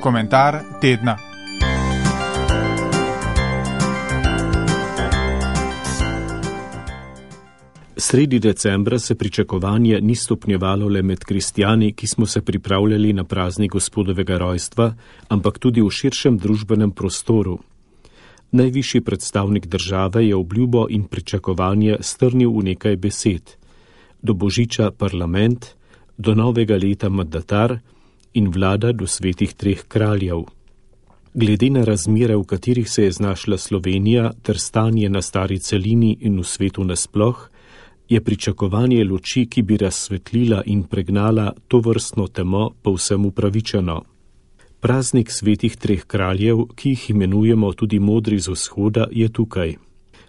Komentar tedna. Sredi decembra se pričakovanje ni stopnjevalo le med kristjani, ki smo se pripravljali na praznik Gospodovega rojstva, ampak tudi v širšem družbenem prostoru. Najvišji predstavnik države je obljubo in pričakovanje strnil v nekaj besed. Do božiča parlament, do novega leta mandatar in vlada do svetih treh kraljev. Glede na razmere, v katerih se je znašla Slovenija ter stanje na stari celini in v svetu nasploh, je pričakovanje luči, ki bi razsvetlila in pregnala tovrstno temo, povsem upravičeno. Praznik svetih treh kraljev, ki jih imenujemo tudi modri z vzhoda, je tukaj.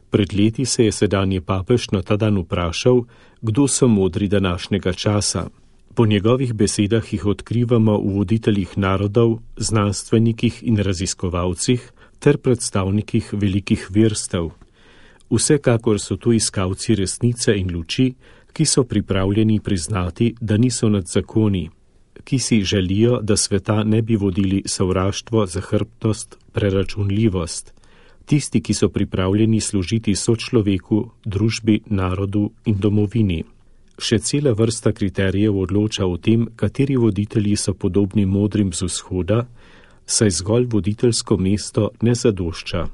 Pred leti se je sedanji papež na ta dan vprašal, kdo so modri današnjega časa. Po njegovih besedah jih odkrivamo v voditeljih narodov, znanstvenikih in raziskovalcih ter predstavnikih velikih verstev. Vsekakor so to iskalci resnice in luči, ki so pripravljeni priznati, da niso nad zakoni, ki si želijo, da sveta ne bi vodili sovraštvo, zahrbtnost, preračunljivost. Tisti, ki so pripravljeni služiti sočloveku, družbi, narodu in domovini. Še cela vrsta kriterijev odloča o tem, kateri voditelji so podobni modrim z vzhoda, saj zgolj voditeljsko mesto ne zadošča.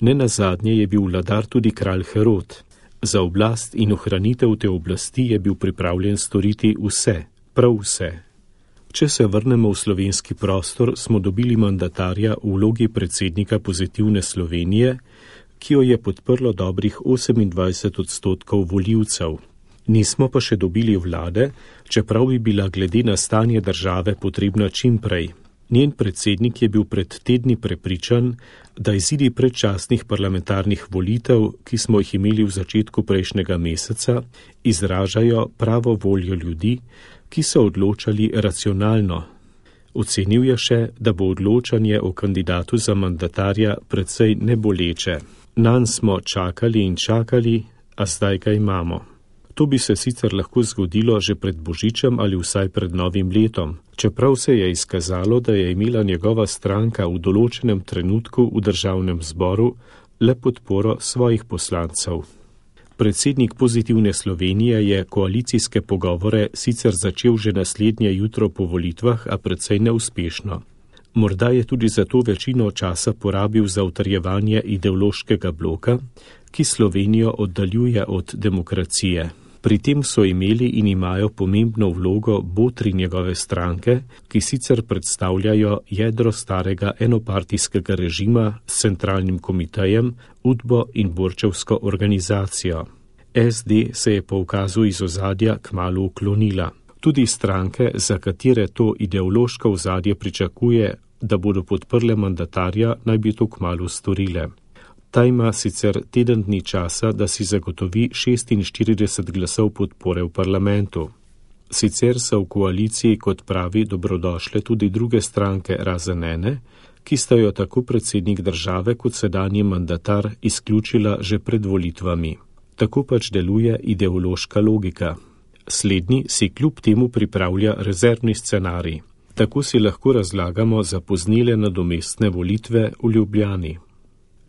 Nenazadnje je bil vladar tudi kralj Herod. Za oblast in ohranitev te oblasti je bil pripravljen storiti vse, prav vse. Če se vrnemo v slovenski prostor, smo dobili mandatarja v vlogi predsednika Pozitivne Slovenije, ki jo je podprlo dobrih 28% volivcev. Nismo pa še dobili vlade, čeprav bi bila glede na stanje države potrebna čim prej. Njen predsednik je bil pred tedni prepričan, da izidi predčasnih parlamentarnih volitev, ki smo jih imeli v začetku prejšnjega meseca, izražajo pravo voljo ljudi, ki so odločali racionalno. Ocenil je še, da bo odločanje o kandidatu za mandatarja precej neboleče. Nanj smo čakali in čakali, a zdaj ga imamo. To bi se sicer lahko zgodilo že pred božičem ali vsaj pred novim letom, čeprav se je izkazalo, da je imela njegova stranka v določenem trenutku v državnem zboru le podporo svojih poslancev. Predsednik Pozitivne Slovenije je koalicijske pogovore sicer začel že naslednje jutro po volitvah, a precej neuspešno. Morda je tudi zato večino časa porabil za utrjevanje ideološkega bloka, ki Slovenijo oddaljuje od demokracije. Pri tem so imeli in imajo pomembno vlogo botri njegove stranke, ki sicer predstavljajo jedro starega enopartijskega režima s centralnim komitejem, Udbo in Borčevsko organizacijo. SD se je po ukazu iz ozadja kmalu uklonila. Tudi stranke, za katere to ideološko ozadje pričakuje, da bodo podprle mandatarja, naj bi to kmalu storile. Ta ima sicer teden dni časa, da si zagotovi 46 glasov podpore v parlamentu. Sicer so v koaliciji, kot pravi, dobrodošle tudi druge stranke razen ene, ki sta jo tako predsednik države kot sedanji mandatar izključila že pred volitvami. Tako pač deluje ideološka logika. Slednji si kljub temu pripravlja rezervni scenarij. Tako si lahko razlagamo zapoznele nadomestne volitve v Ljubljani.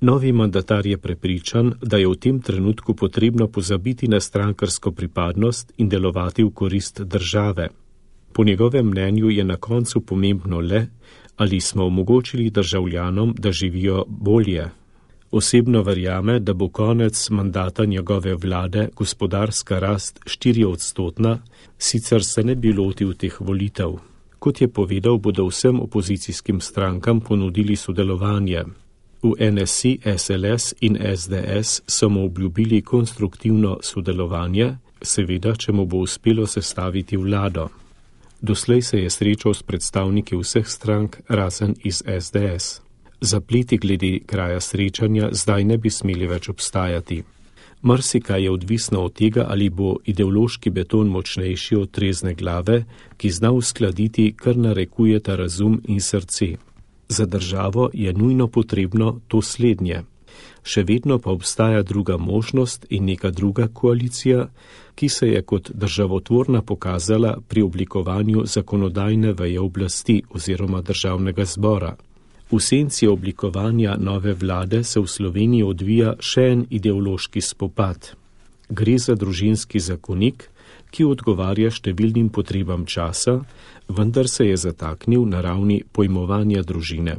Novi mandatar je prepričan, da je v tem trenutku potrebno pozabiti na strankarsko pripadnost in delovati v korist države. Po njegovem mnenju je na koncu pomembno le, ali smo omogočili državljanom, da živijo bolje. Osebno verjame, da bo konec mandata njegove vlade gospodarska rast 4%, sicer se ne bi lotil teh volitev. Kot je povedal, bodo vsem opozicijskim strankam ponudili sodelovanje. V NSI, SLS in SDS so mu obljubili konstruktivno sodelovanje, seveda, če mu bo uspelo sestaviti vlado. Doslej se je srečal s predstavniki vseh strank, razen iz SDS. Zapleti glede kraja srečanja zdaj ne bi smeli več obstajati. Marsikaj je odvisno od tega, ali bo ideološki beton močnejši od trezne glave, ki zna uskladiti, kar narekujeta razum in srce. Za državo je nujno potrebno to slednje. Še vedno pa obstaja druga možnost in neka druga koalicija, ki se je kot državotvorna pokazala pri oblikovanju zakonodajne veje oblasti oziroma državnega zbora. V senci oblikovanja nove vlade se v Sloveniji odvija še en ideološki spopad. Gre za družinski zakonik, ki odgovarja številnim potrebam časa, vendar se je zataknil na ravni pojmovanja družine.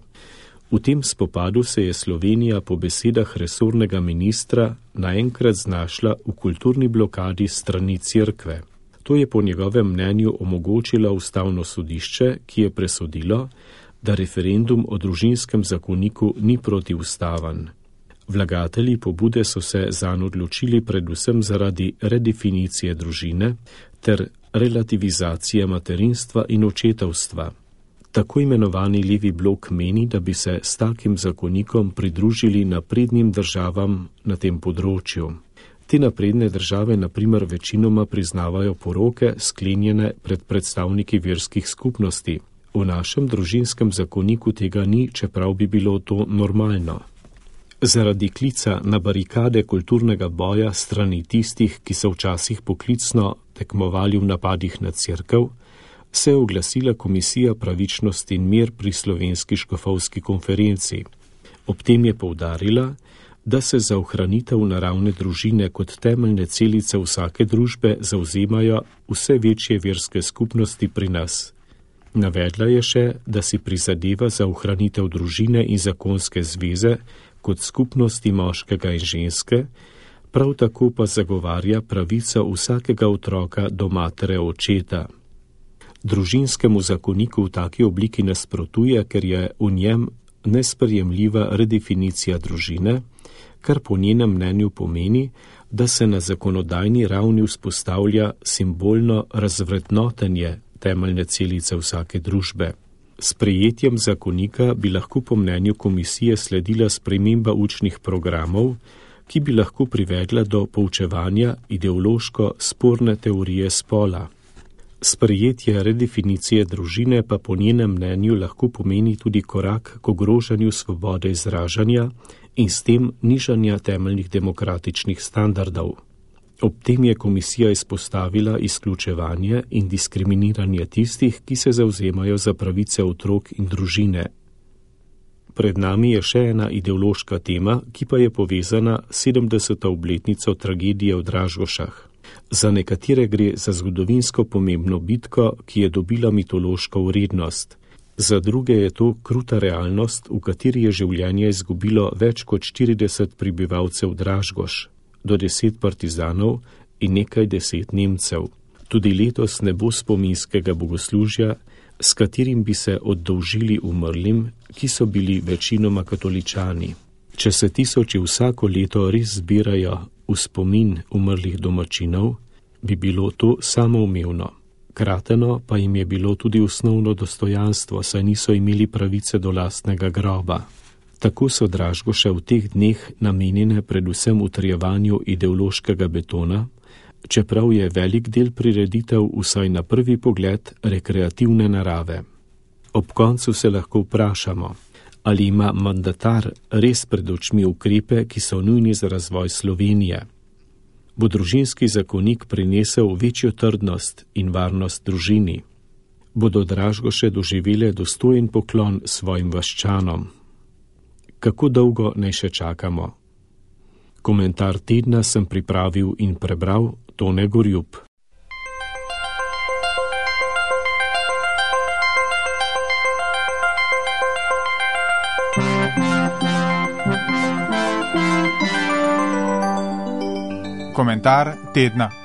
V tem spopadu se je Slovenija po besedah resornega ministra naenkrat znašla v kulturni blokadi strani Cerkve. To je po njegovem mnenju omogočilo Ustavno sodišče, ki je presodilo, da referendum o družinskem zakoniku ni protiustaven. Vlagatelji pobude so se zanj odločili predvsem zaradi redefinicije družine ter relativizacije materinstva in očetovstva. Tako imenovani levi blok meni, da bi se s takim zakonikom pridružili naprednim državam na tem področju. Te napredne države na primer večinoma priznavajo poroke, sklenjene pred predstavniki verskih skupnosti. V našem družinskem zakoniku tega ni, čeprav bi bilo to normalno. Zaradi klica na barikade kulturnega boja strani tistih, ki so včasih poklicno tekmovali v napadih na Cerkev, se je oglasila Komisija pravičnost in mir pri Slovenski škofovski konferenci. Ob tem je poudarila, da se za ohranitev naravne družine kot temeljne celice vsake družbe zavzemajo vse večje verske skupnosti pri nas. Navedla je še, da si prizadeva za ohranitev družine in zakonske zveze kot skupnosti moškega in ženske, prav tako pa zagovarja pravico vsakega otroka do matere očeta. Družinskemu zakoniku v taki obliki nasprotuje, ker je v njem nesprejemljiva redefinicija družine, kar po njenem mnenju pomeni, da se na zakonodajni ravni vzpostavlja simbolno razvrednotenje temeljne celice vsake družbe. S sprejetjem zakonika bi lahko po mnenju komisije sledila sprememba učnih programov, ki bi lahko privedla do poučevanja ideološko sporne teorije spola. Sprejetje redefinicije družine pa po njenem mnenju lahko pomeni tudi korak k ogrožanju svobode izražanja in s tem nižanja temeljnih demokratičnih standardov. Ob tem je komisija izpostavila izključevanje in diskriminiranje tistih, ki se zavzemajo za pravice otrok in družine. Pred nami je še ena ideološka tema, ki pa je povezana s 70. obletnico tragedije v Dražgošah. Za nekatere gre za zgodovinsko pomembno bitko, ki je dobila mitološko vrednost. Za druge je to kruta realnost, v kateri je življenje izgubilo več kot 40 prebivalcev Dražgoš, do 10 partizanov in nekaj 10 Nemcev. Tudi letos ne bo spominskega bogoslužja, s katerim bi se oddolžili umrlim, ki so bili večinoma katoličani. Če se tisoči vsako leto res zbirajo v spomin umrlih domačinov, bi bilo to samoumevno. Krateno pa jim je bilo tudi osnovno dostojanstvo, saj niso imeli pravice do lastnega groba. Tako so Dražgoše v teh dneh namenjene predvsem utrjevanju ideološkega betona, čeprav je velik del prireditev vsaj na prvi pogled rekreativne narave. Ob koncu se lahko vprašamo, ali ima mandatar res pred očmi ukrepe, ki so nujni za razvoj Slovenije. Bo družinski zakonik prinesel večjo trdnost in varnost družini? Bodo Dražgoše doživele dostojen poklon svojim vaščanom? Kako dolgo naj še čakamo? Komentar tedna sem pripravil in prebral Tone Gorjup. Komentar tedna.